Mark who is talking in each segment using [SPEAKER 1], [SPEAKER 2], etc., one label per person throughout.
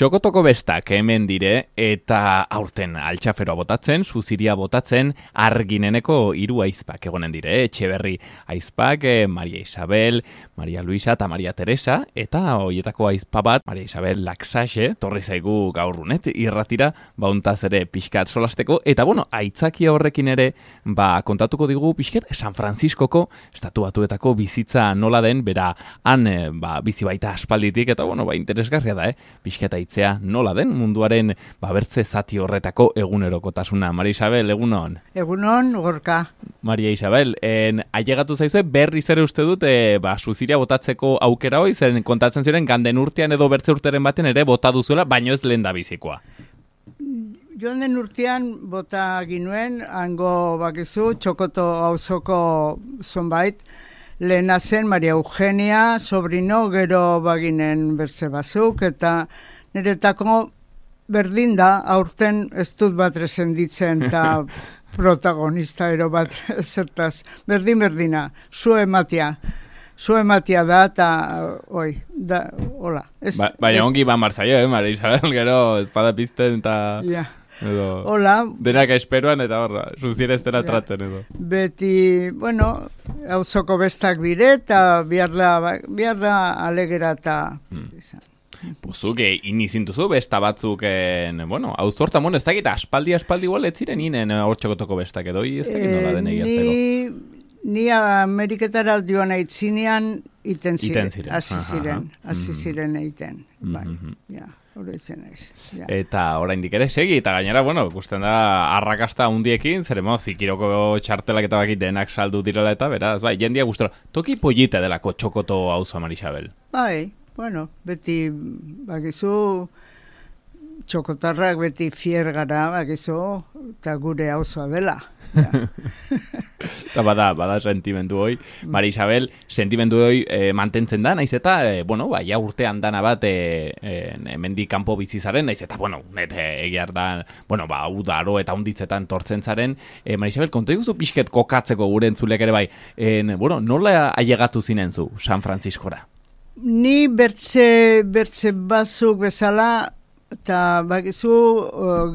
[SPEAKER 1] Txokotoko bestak hemen dire eta aurten altxaferoa botatzen, suziria botatzen, argineneko 3 aizpak egonen dire, Etxeberri aizpak, Maria Isabel, Maria Luisa eta Maria Teresa, eta hoietako aizpa bat, Maria Isabel Laxaxe, torri zaigu gaur runet, irratira, bauntaz ere pixkat solasteko, eta bueno, aitzakia horrekin ere, kontatuko digu pixkat San Franciscoko estatu batuetako bizitza nola den, bera han bizi baita aspalditik, eta bueno, interesgarria da, pixkat aitzea nola den munduaren bertze zati horretako egunerokotasuna. Maria Isabel, egunon?
[SPEAKER 2] Egunon, Gorka.
[SPEAKER 1] Maria Isabel, ailegatu zaizue berriz ere uste dut suziria botatzeko aukera hoi, zeren kontatzen ziren ganden urtean edo bertze urteren baten ere bota duzuela, baino ez lehen da bizikoa.
[SPEAKER 2] Joan den urtean bota ginuen, hango bakizu, Txokoto auzoko zonbait, lehena zen Maria Eugenia, sobrino, gero baginen bertze bazuk, eta niretako berdin da, aurten ez dut bat resenditzen, eta protagonista ero bat zertaz, berdina, zu ematia da, eta hola.
[SPEAKER 1] Baina ongi martzaio, Maria Isabel, gero espada pizten, eta... Edo,
[SPEAKER 2] hola.
[SPEAKER 1] Denak esperoan eta horra, suziera ez dela tratzen edo.
[SPEAKER 2] Beti, auzoko bestak dire eta bihar da alegera eta izan.
[SPEAKER 1] Pozuk, inizintuzu besta batzuk, auzo hortan, ez dakit, aspaldi igual ez ziren inen hor Txokotoko bestak edo, ez dakit nola den egiarteko.
[SPEAKER 2] Ni Ameriketara joan aitzinean iten ziren, hasi ziren eiten, bai,
[SPEAKER 1] Eta oraindik ere segi, eta gainera, ikusten da arrakasta hundiekin, zeremo zikiroko txartelak eta bakit denak saldu direla eta beraz, bai, jendia gustora. Toki pollite delako Txokoto auzoa, Maria Isabel.
[SPEAKER 2] Bai, beti, bakizu, txokotarrak beti fier gara, bakizu, eta gure auzoa dela.
[SPEAKER 1] Eta bada sentimendu hoi. Maria Isabel, sentimendu hoi mantentzen da, naiz eta, ja urtean dana bat hemendik kanpo bizizaren, naiz eta, egiar da, udaro eta unditzetan tortzen zaren. Maria Isabel, konta iguzu pixket kokatzeko gure entzulek ere bai, nola ailegatu zinen zu San Franciscora?
[SPEAKER 2] Ni bertze batzuk bezala, eta bakizu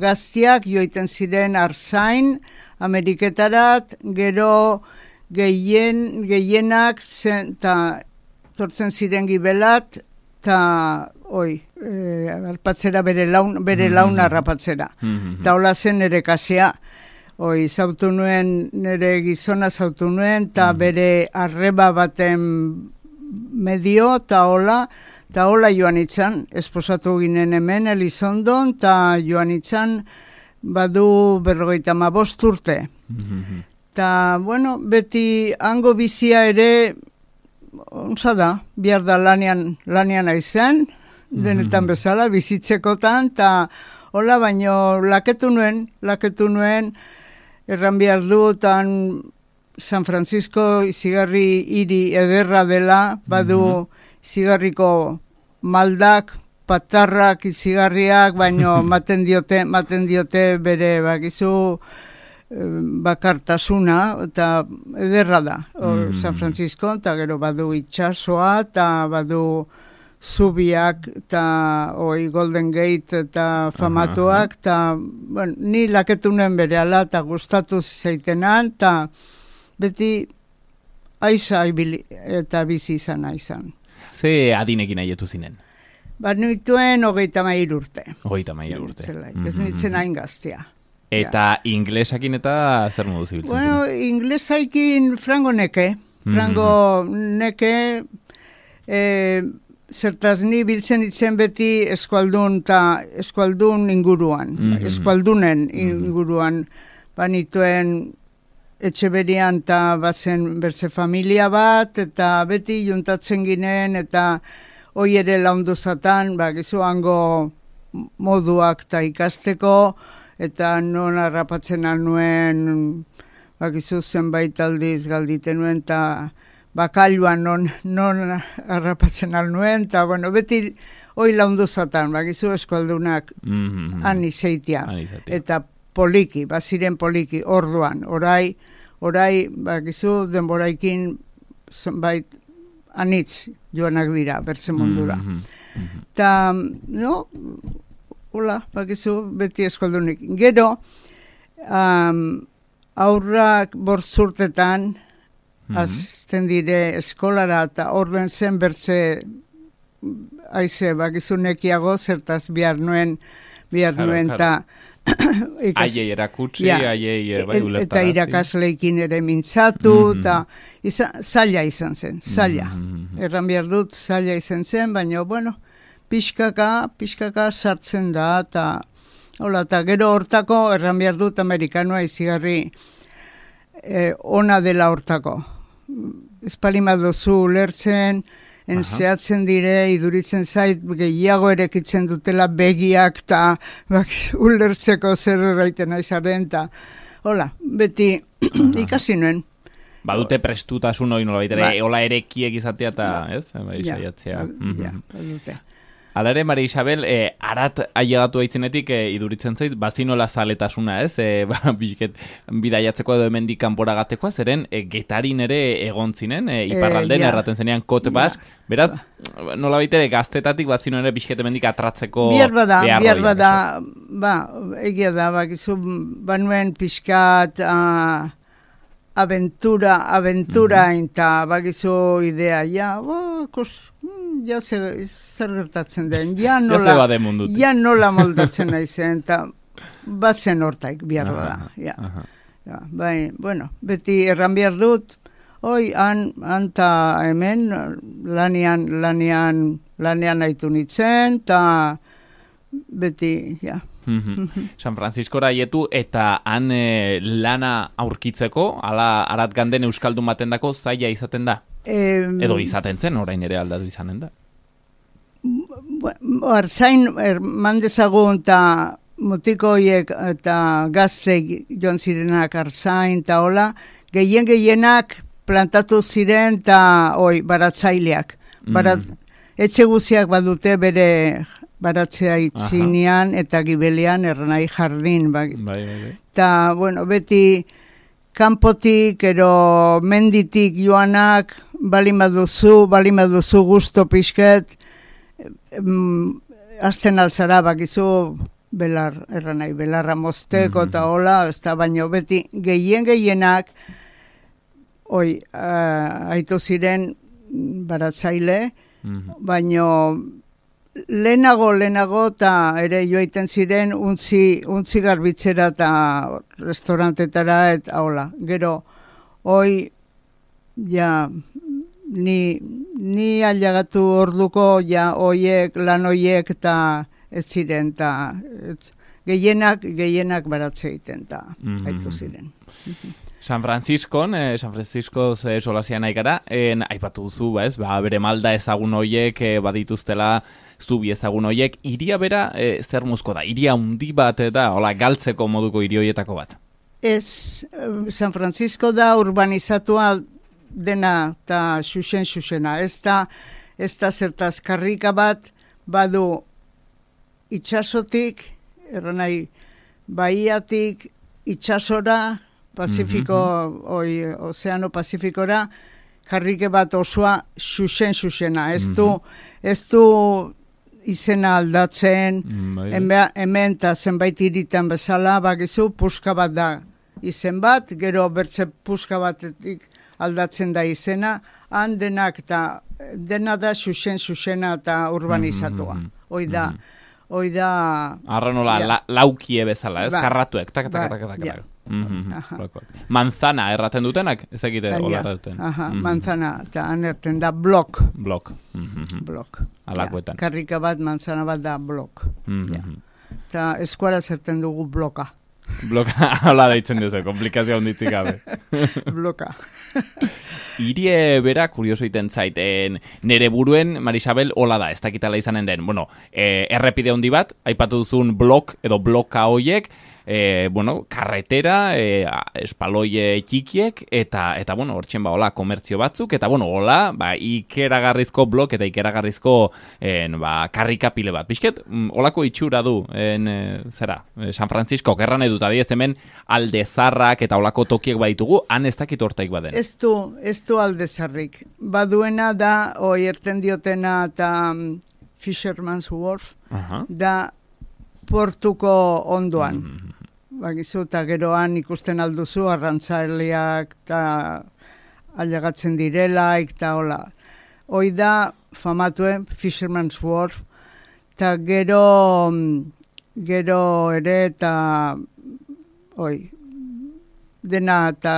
[SPEAKER 2] gaztiak joiten ziren Arzain, Ameriketarat, gero gehienak tortzen ziren Gibelat, eta harpatzera bere launa harrapatzera. Eta hola zen nire kasea. Zautu nuen, nire gizona zautu nuen, eta bere arreba baten medio, eta hola joan itzan. Esposatu ginen hemen, Elizondon, eta joan itzan, badu 55 urte. Eta, beti hango bizia ere, ontsa da, bihar da lanian aizen, denetan bezala, bizitzekotan, eta hola, baino laketu nuen, erran behar dutan San Francisco izigarri hiri ederra dela, badu izigarriko maldak, patarrak, izigarriak, baino maten diote bere bakizu bakartasuna, eta ederra da, San Francisco, eta gero badu itxasoa, eta badu zubiak, eta Golden Gate, eta famatuak, eta ni laketu nuen bere ala, eta gustatu zaitenan, eta beti aiza eta bizi izan aizan.
[SPEAKER 1] Ze adinekin aietu zinen?
[SPEAKER 2] Nituen 33 urte.
[SPEAKER 1] 33 urte.
[SPEAKER 2] Ez nintzen hain gaztea.
[SPEAKER 1] Eta inglesakin eta zer modu zibiltzen zinen?
[SPEAKER 2] Inglesaikin frango neke. Zertaz ni biltzen itzen beti eskualdun inguruan. Eskualdunen inguruan. Nituen Etxeberian eta bazen bertze familia bat, eta beti juntatzen ginen, eta hoi ere laundu zatan, gizu hango moduak eta ikasteko, eta non harrapatzen alnuen, gizu zenbait aldiz galditen nuen, eta bakailuan non harrapatzen alnuen, eta beti hoi laundu zatan, gizu eskualdunak han izeitia, eta poliki, baziren poliki, orduan, orai, gizu denboraikin zenbait anitz joanak dira, bertze mundura. Eta, hola, bakizu, beti eskoldunik. Gero, aurrak 5 urtetan, azten dire eskolara, eta orden zen bertze aize, bakizu nekiago, zertaz bihar nuen, eta
[SPEAKER 1] aiei erakutsi, aiei ulertarazi.
[SPEAKER 2] Eta irakasleikin ere mintzatu, eta zaila izan zen, zaila. Erran behar dut, zaila izan zen, baina, bueno, pixkaka sartzen da, eta gero hortako, erran behar dut, amerikanoa izigarri ona dela hortako. Espalima duzu ulertzen, zehatzen dire, iduritzen zait, gehiago erekitzen dutela begiak, eta ulertzeko zer erraiten aizaren, eta hola, beti ikasi nuen.
[SPEAKER 1] Badute prestutasun hori nola baitere, hola erekiek izatea eta, ez? Saiatzea.
[SPEAKER 2] Badute.
[SPEAKER 1] Hala ere, Maria Isabel, arat ailegatu aitzenetik iduritzen zait, bazinola zaletasuna, ez? Bizket, bidaiatzeko edo hemendik kanpora gatekoa, zeren Getarin ere egon zinen, iparralden erraten zenean Kot Bask, beraz, nola baitere gaztetatik bazino ere bizket hemendik atratzeko
[SPEAKER 2] behar bada, egia da, bakizu, banuen pixkat aventura eta bakizu idea, zer gertatzen den, nola moldatzen naizen, eta batzen hortaik behar da. Bueno, beti erran behar dut, anta hemen lanian haitu nitzen, eta beti,
[SPEAKER 1] San Franciscora aietu eta han lana aurkitzeko, arat ganden euskaldun baten dako zaila izaten da? Edo izaten zen, orain ere aldatu izanen da?
[SPEAKER 2] Arzain, mandezagun eta mutiko horiek eta gazteik joan zirenak arzain eta hola, gehienak plantatu ziren eta baratzaileak. Etxe guziak badute bere baratzea itzinean eta gibelean erranai jardin. Eta, bueno, beti kanpotik, ero menditik joanak, balin baduzu gusto pixket, azten alzara bakizu belarra mozteko eta hola, baino beti gehienak aitu ziren baratzaile, baino lehenago eta ere joaiten ziren untzi garbitzera eta restaurantetara eta hola. Gero, ni ailegatu orduko lan oiek eta ez ziren, eta gehienak baratze egiten eta aitu ziren.
[SPEAKER 1] San Francisco solazian nahi gara, aipatu duzu, bere malda ezagun hoiek badituztela zubi ezagun hoiek, iria bera zer muzko da? Iria handi bat da, galtzeko moduko hiri hoietako bat?
[SPEAKER 2] Ez, San Francisco da urbanizatua dena eta xuxena. Ez da zertaz karrika bat badu itxasotik, erranai baiatik itxasora, Ozeano Pazifikora, karrike bat osoa xuxena. Ez du izena aldatzen, hemen eta zenbait iritan bezala, bakizu, puska bat da izen bat, gero bertze puska batetik aldatzen da izena, han dena da xuxena eta urbanizatua. Hoi da...
[SPEAKER 1] Arra nola, laukie bezala, ez? Karratuek, tak. Manzana erraten dutenak? Ez egite hola erraten.
[SPEAKER 2] Manzana, eta anerten da blok.
[SPEAKER 1] Blok. Alakoetan.
[SPEAKER 2] Karrika bat, manzana bat da blok. Eta eskuara zerten dugu bloka.
[SPEAKER 1] Bloka, hola deitzen duzu, komplikazioa onditzik gabe.
[SPEAKER 2] Bloka.
[SPEAKER 1] Irie bera, kurioso iten zaiten, nere buruen, Marisabel, hola da, ez dakitala izanen den. Bueno, errepide handi bat, aipatu duzun blok edo bloka hoiek, karretera, espaloie txikiek, eta hortxen hola, komertzio batzuk, eta hola, ikeragarrizko blok eta ikeragarrizko karrikapile bat. Bizket, holako itxura du, San Francisco, gerran edut, adiez hemen aldezarrak eta holako tokiek baditugu, han ez dakit hortaik baden.
[SPEAKER 2] Ez du aldezarrik. Baduena da, erten diotena eta Fisherman's Wharf, da portuko ondoan. Bakizu, eta geroan ikusten alduzu, arrantzaileak eta ailegatzen direla, eta hola. Hoi da, famatuen, Fisherman's Wharf, eta gero ere, eta dena, eta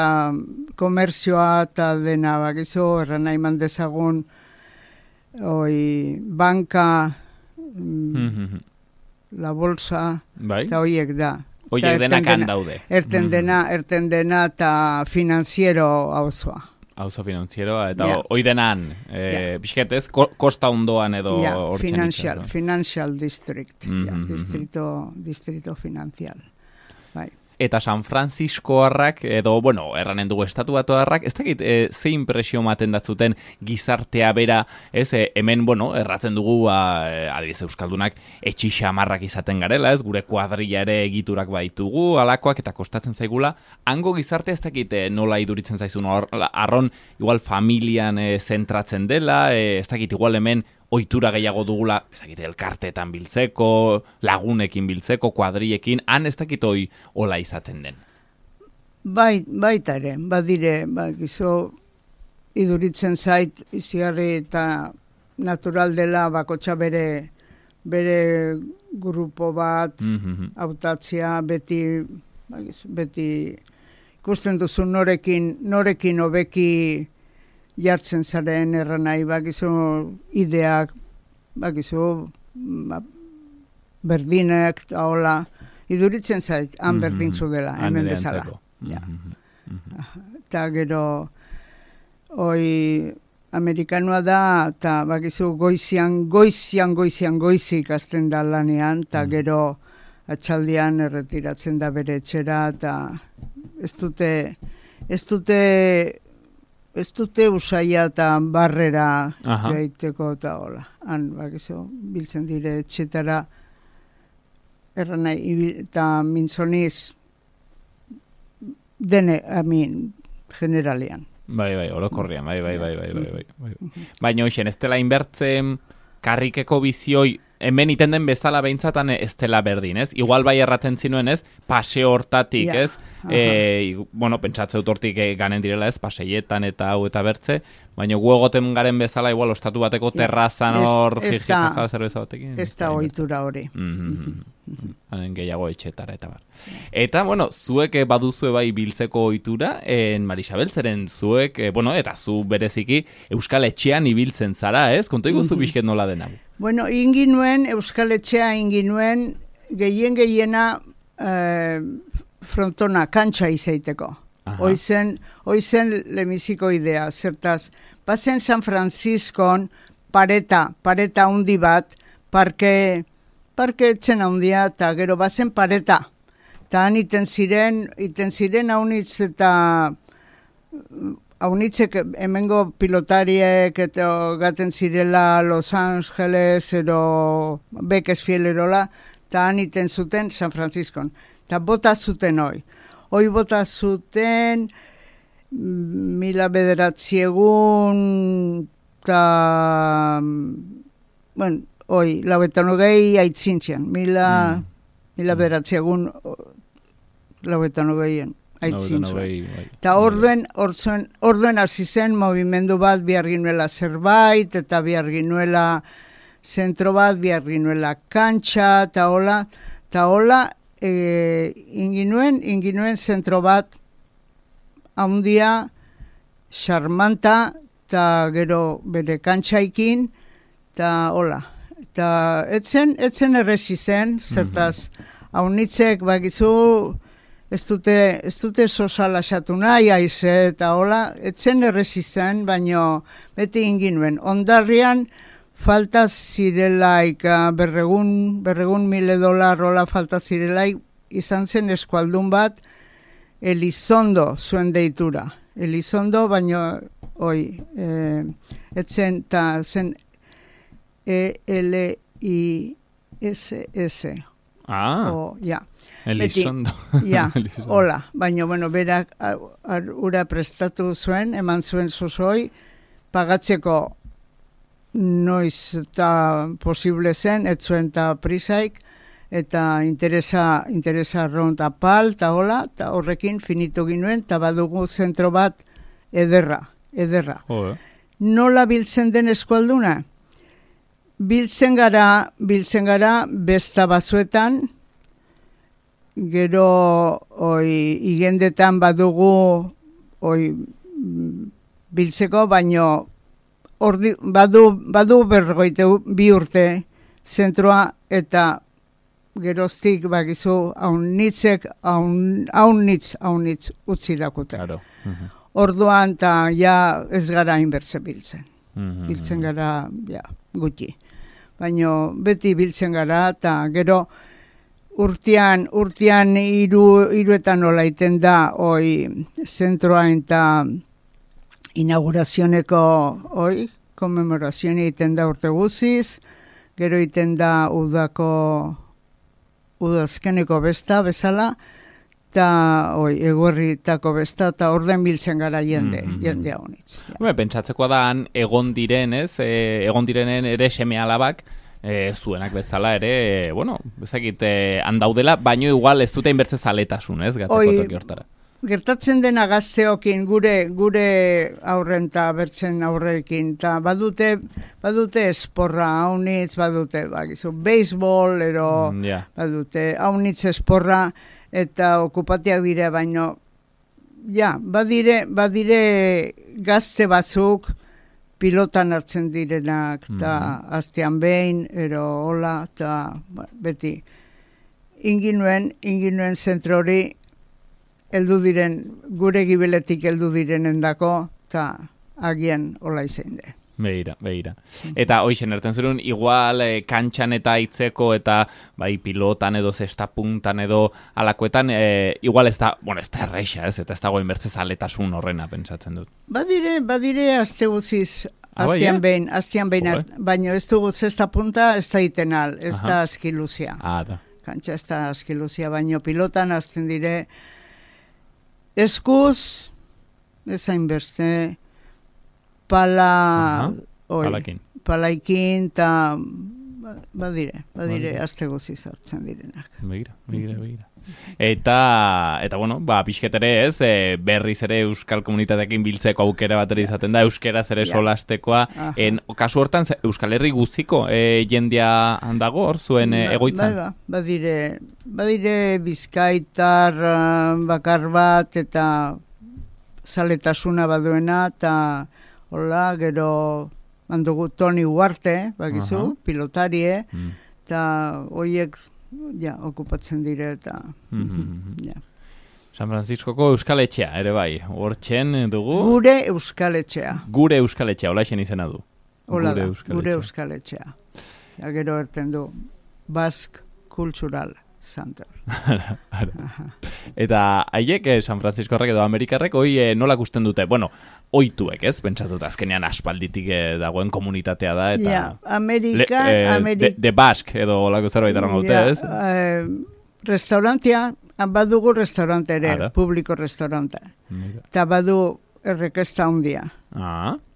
[SPEAKER 2] komerzioa, eta dena, bakizu, erran nahi mandezagun, banka, la bolsa, eta hoiek da.
[SPEAKER 1] Hoiek denak handaude.
[SPEAKER 2] Erten dena eta finanziero hauzoa.
[SPEAKER 1] Hauzo finanzieroa, eta hoi denan, bizketez, kosta ondoan edo hortzen
[SPEAKER 2] financial district, distrito financial. Bai.
[SPEAKER 1] Eta San Franciscoarrak, edo, erranen dugu estatuatuarrak, ez dakit, ze impresio maten datzuten gizartea bera, ez, hemen, erratzen dugu, adibidez Euskaldunak, etxi xamarrak izaten garela, ez, gure kuadrilla ere egiturak baitugu, alakoak, eta kostatzen zaigula, hango gizartea ez dakit nola iduritzen zaizun, arron, igual familian zentratzen dela, ez dakit, igual hemen, ohitura gehiago dugula, ez dakit, elkarteetan biltzeko, lagunekin biltzeko, kuadrillekin, han ez dakit hola izaten den.
[SPEAKER 2] Baita ere, badire, iduritzen zait, izigarri eta natural dela bakotxa bere grupo bat, hautatzea, beti ikusten duzu norekin hobeki jartzen zaren erranai, bakizu ideak, bakizu berdinek, eta hola, iduritzen zait, han berdintzu dela, hemen bezala. Eta gero, amerikanoa da, eta bakizu goizik azten da lanean, eta gero atxaldian erretiratzen da bere etxera, eta ez dute usaia eta barrera gaiteko eta hola. Han, bakizu, biltzen dire etxetara erranai, eta mintzoniz dene, generalian.
[SPEAKER 1] Bai, orokorrian, bai. Baina hoxen, ez dela inbertzen karrikeko bizioi, hemen iten den bezala behintzatan ez dela berdin, ez? Igual bai erraten zinuen, ez? Paseo hortatik, ez? Pentsatzeut hortik ganen direla, ez? Paseietan eta hau eta bertze, baina gu egoten garen bezala, igual, ostatu bateko terrazan hor, jijikaja zerbeza batekin.
[SPEAKER 2] Ez da ohitura hori.
[SPEAKER 1] Hanen gehiago etxetara eta bar. Eta, zuek baduzue bai biltzeko ohitura, Marisabel, zeren zuek, eta zu bereziki Euskal Etxean ibiltzen zara, ez? Konto iguzu bizket nola dena.
[SPEAKER 2] Inginuen, Euskal Etxea inginuen, gehiena frontona, kantxa izaiteko. Hoizen lemiziko idea, zertaz. Bazen San Franciscon, pareta hundi bat, parke etxen handia, eta gero bazen pareta. Eta han iten ziren haunitz eta haunitzek hemengo pilotariek eta gaten zirela Los Angeles ero Bakersfield erola, eta han iten zuten San Franciscon. Eta bota zuten hoi bota zuten 1900 eta lauetan hogei aitzintzian, 1900 lauetan hogeien aitzintzian. Eta orduen hasi zen movimendu bat bihar ginuela zerbait, eta bihar ginuela zentro bat, bihar ginuela kantxa, eta hola, inginuen zentro bat haundia, xarmanta, eta gero bere kantxaikin, eta hola. Eta etzen erresi zen, zertaz, haunitzek bakizu, ez dute sosalasatu nahi aize, eta hola, etzen erresi zen, baino beti inginuen. Ondarrian, falta zirelaik, berregun $1,000 hola falta zirelaik, izan zen eskualdun bat, Elizondo zuen deitura. Elizondo, baino, etzen, eta zen ELISS.
[SPEAKER 1] Elizondo.
[SPEAKER 2] Hola, baina, berak ura prestatu zuen, eman zuen zuzoi, pagatzeko noiz eta posible zen, ez zuen eta prisaik, eta interesa arron eta pal, eta hola, eta horrekin finitu ginuen, eta badugu zentro bat ederra. Nola biltzen den eskualduna? Biltzen gara besta bazuetan, gero igendetan badugu biltzeko, baino badu 42 urte zentroa, eta geroztik bakizu haunitzek utzi dakute.
[SPEAKER 1] Claro.
[SPEAKER 2] Orduan eta ja ez gara inbertze biltzen. Biltzen gara gutxi. Baina beti biltzen gara, eta gero urtean hiruetan nola iten da zentroa eta inaugurazioneko komemorazioa iten da urte guziz, gero iten da udazkeneko besta bezala, eta eguerritako besta, eta orden biltzen gara jende honitz.
[SPEAKER 1] Pentsatzekoa da egon direnen ere seme alabak, zuenak bezala ere, bezakit handaudela, baino igual ez dute inbertze zaletasun, gatzeko toki hortara.
[SPEAKER 2] Gertatzen dena gazteokin, gure aurren eta bertzen aurrekin, eta badute esporra haunitz, badute beisbol, badute haunitz esporra, eta okupatiak dire, baino, badire gazte batzuk pilotan hartzen direnak, eta aztean behin, hola, eta beti. Inginuen zentro hori, gure gibeletik heldu direnen dako, eta agian hola izain de.
[SPEAKER 1] Begira. Eta hoixen erten zerun, igual kantxan eta itzeko eta pilotan edo zesta puntan edo alakoetan, igual ez da erreixa, eta ez dago inbertze zaletasun horrena, pentsatzen dut.
[SPEAKER 2] Badire azte guziz, aztean behin, baina ez dugu zesta punta, ez da itenal, ez da askiluzia. Kantxa ez da askiluzia, baina pilotan azten dire eskuz, ez hainbertze, palaikin, eta badire, azte guziz hartzen direnak.
[SPEAKER 1] Begira. Eta pixketere ez, berriz ere euskal komunitateekin biltzeko aukera batera izaten da, euskeraz ere solastekoa. Kasu hortan, Euskal Herri guztiko jendea handago hor zuen egoitzan?
[SPEAKER 2] Badire Bizkaitar bakar bat, eta zaletasuna baduena, eta hola, gero mandugu Toni Uarte, bakizu, pilotarie, eta horiek okupatzen dire, eta
[SPEAKER 1] San Franciscoko Euskal Etxea, ere bai, hortzen dugu?
[SPEAKER 2] Gure Euskal Etxea.
[SPEAKER 1] Gure Euskal Etxea, hola esen izena du.
[SPEAKER 2] Hola da, gure Euskal Etxea. Gero erten du, Basque Cultural Center.
[SPEAKER 1] Eta haiek San Franciskorrek edo Amerikarrek nola gusten dute? Oituek, ez? Pentsatut azkenean aspalditik dagoen komunitatea da, eta...
[SPEAKER 2] Amerikan...
[SPEAKER 1] De Basque edo olako zerbait erango dute, ez?
[SPEAKER 2] Restaurantia, badugu restaurante ere, publiko restaurante. Eta badu errekesta hundia.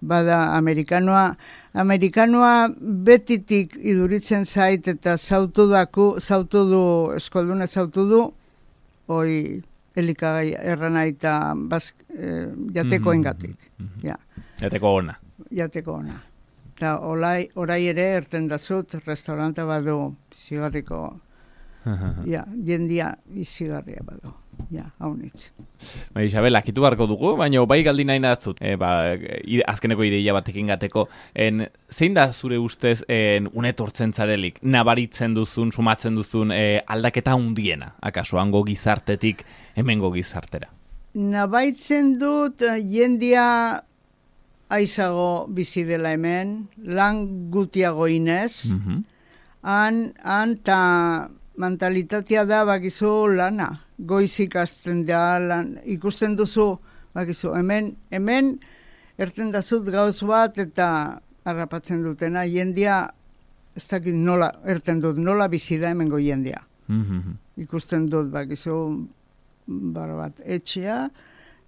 [SPEAKER 2] Bada Amerikanoa betitik iduritzen zait, eta zautu du, eskolduna zautu du, elikagai errana eta jateko engatik.
[SPEAKER 1] Jateko ona.
[SPEAKER 2] Eta orai ere erten dazut, restauranta badu zigarriko, jendia izigarria badu. Haunitz.
[SPEAKER 1] Isabel, akitu barko dugu, baina bai galdi nahi nazut, azkeneko ideia batekin gateko, zein da zure ustez unetortzen zarelik, nabaritzen duzun, sumatzen duzun aldaketa hundiena, akaso, hango gizartetik, hemengo gizartera?
[SPEAKER 2] Nabaitzen dut, jendia aizago bizi dela hemen, lan gutiago inez, han ta mentalitatea da bakizu lana. Goizik azten da lan, ikusten duzu, bakizu, hemen erten dazut gauz bat eta harrapatzen dutena, jendia, ez dakit nola, erten dut, nola bizi da hemengo jendia. Ikusten dut, bakizu, bat etxea,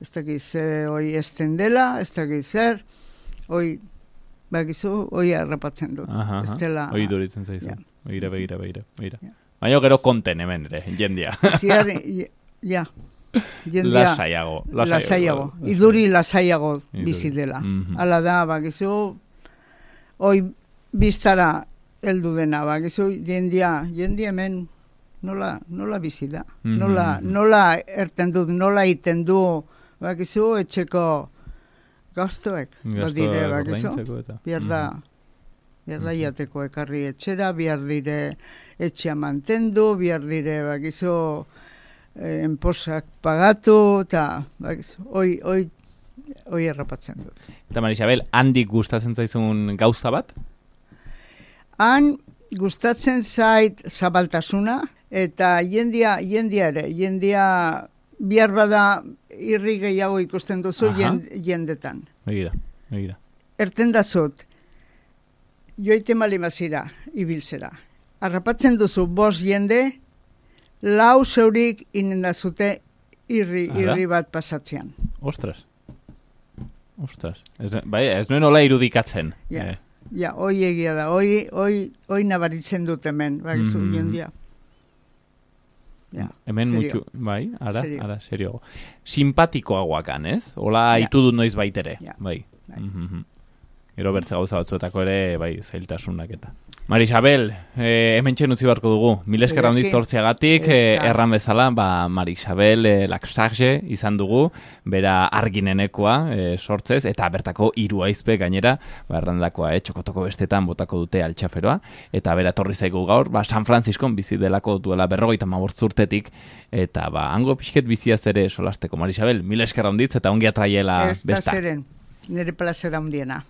[SPEAKER 2] ez dakit ze hoi esten dela, ez dakit zer, hoi, bakizu, hoi harrapatzen dut.
[SPEAKER 1] Hoi duritzen zaizu, begira. Baina gero konten hemen ere, jendia.
[SPEAKER 2] Ja.
[SPEAKER 1] Lasaiago.
[SPEAKER 2] Iduri lasaiago bizi dela. Hala da, bakizu, hoi biztara heldu dena, bakizu, jendia hemen nola bizi da. Nola erten du, nola iten du, bakizu, etxeko gastoek. Badire, bakizu, Bihar da jateko ekarri etxera, bihar dire etxea mantendu, bihar dire, bakizu, enposak pagatu, eta hoi errapatzen dut.
[SPEAKER 1] Eta Marisabel, handik gustatzen zaizun gauza bat?
[SPEAKER 2] Han gustatzen zait zabaltasuna, eta jendia ere, bihar bada irri gehiago ikusten duzu jendetan.
[SPEAKER 1] Begira.
[SPEAKER 2] Erten da zut, joite malimazira, ibiltzera. Arrapatzen duzu 5 jende, 4 zeurik inendazute irri bat pasatzean.
[SPEAKER 1] Ostras. Ez nuen hola irudikatzen.
[SPEAKER 2] Ja, hoi egia da. Hoi nabaritzen dut hemen, bakizu, jendia.
[SPEAKER 1] Hemen mutu, bai, ara, serio. Simpatikoagoakan, ez? Hola haitu dut noiz baitere. Bai. Gero bertze gauza batzuetako ere, bai, zailtasunak eta. Marisabel, hemen txen utzi barko dugu. Mil esker handiz tortziagatik, erran bezala, Marisabel Laxage izan dugu, bera arginenekoa sortzez, eta bertako 3 aizpe gainera, errandakoa, txokotoko bestetan botako dute altxaferoa, eta bera torri zaigu gaur, San Franciscon bizi delako duela 55 urtetik, eta hango pixket biziaz ere solasteko. Marisabel, mil esker handiz, eta ongi atraiela besta.
[SPEAKER 2] Ez da zeren, nire plazera handiena.